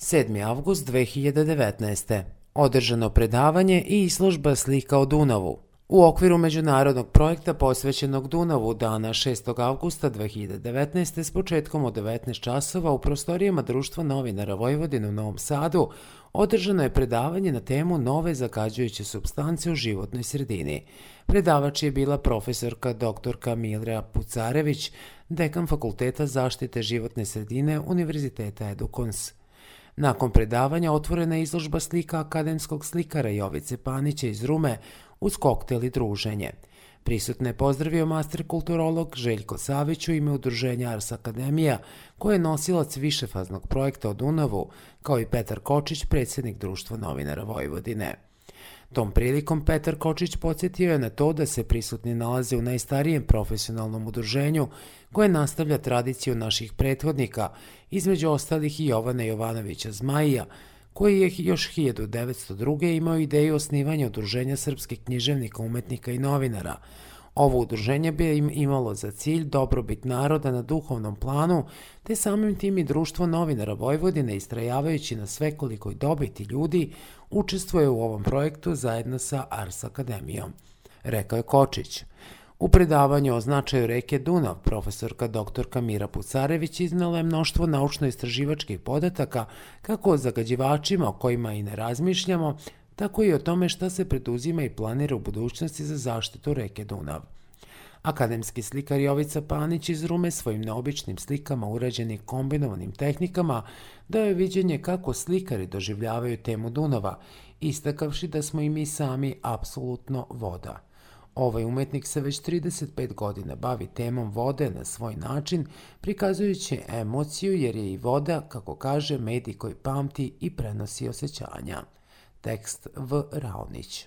7. avgust 2019. Održano predavanje i izložba slika o Dunavu. U okviru međunarodnog projekta posvećenog Dunavu dana 6. avgusta 2019. s početkom od 19 časova u prostorijama Društva novinara Vojvodine u Novom Sadu održano je predavanje na temu nove zagađujuće supstance u životnoj sredini. Predavač je bila profesorka dr. Mira Pucarević, dekan Fakulteta zaštite životne sredine Univerziteta Edukons. Nakon predavanja otvorena je izložba slika akademskog slikara Jovice Panića iz Rume uz koktel i druženje. Prisutne je pozdravio master kulturolog Željko Savić u ime udruženja Ars Akademija, koji je nosilac višefaznog projekta o Dunavu, kao i Petar Kočić, predsjednik Društva novinara Vojvodine. Tom prilikom Petar Kočić podsjetio je na to da se prisutni nalaze u najstarijem profesionalnom udruženju koje nastavlja tradiciju naših prethodnika, između ostalih i Jovana Jovanovića Zmajija, koji je još 1902. imao ideju osnivanja udruženja srpskih književnika, umetnika i novinara. Ovo udruženje bi im imalo za cilj dobrobit naroda na duhovnom planu, te samim tim i Društvo novinara Vojvodine, istrajavajući na svekolikoj dobiti ljudi, učestvuje u ovom projektu zajedno sa Ars Akademijom, rekao je Kočić. U predavanju o značaju reke Dunav, profesorka dr. Mira Pucarević iznala je mnoštvo naučno-istraživačkih podataka kako o zagađivačima o kojima i ne razmišljamo, tako i o tome šta se preduzima i planira u budućnosti za zaštitu reke Dunav. Akademski slikar Jovica Panić iz Rume svojim neobičnim slikama urađenim kombinovanim tehnikama dao je viđenje kako slikari doživljavaju temu Dunava, istakavši da smo i mi sami apsolutno voda. Ovaj umetnik se već 35 godina bavi temom vode na svoj način, prikazujući emociju jer je i voda, kako kaže, medij koji pamti i prenosi osjećanja. Tekst V. Raonić.